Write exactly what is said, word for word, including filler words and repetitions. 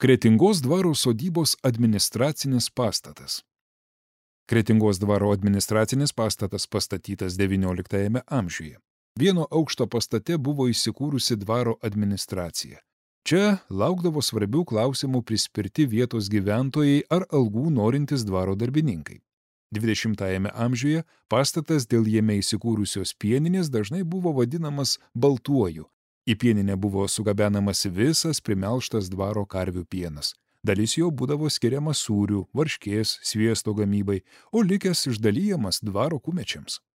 Kretingos dvaro sodybos administracinis pastatas. Kretingos dvaro administracinis pastatas pastatytas devynioliktajame amžiuje. Vieno aukšto pastate buvo įsikūrusi dvaro administracija. Čia laukdavo svarbių klausimų prispirti vietos gyventojai ar algų norintys dvaro darbininkai. dvidešimtajame amžiuje pastatas dėl jame įsikūrusios pieninės dažnai buvo vadinamas Baltuoju. Į pieninę buvo sugabenamas visas primelštas dvaro karvių pienas. Dalis jo būdavo skiriama sūrių, varškės, sviesto gamybai, o likęs išdalyjamas dvaro kumečiams.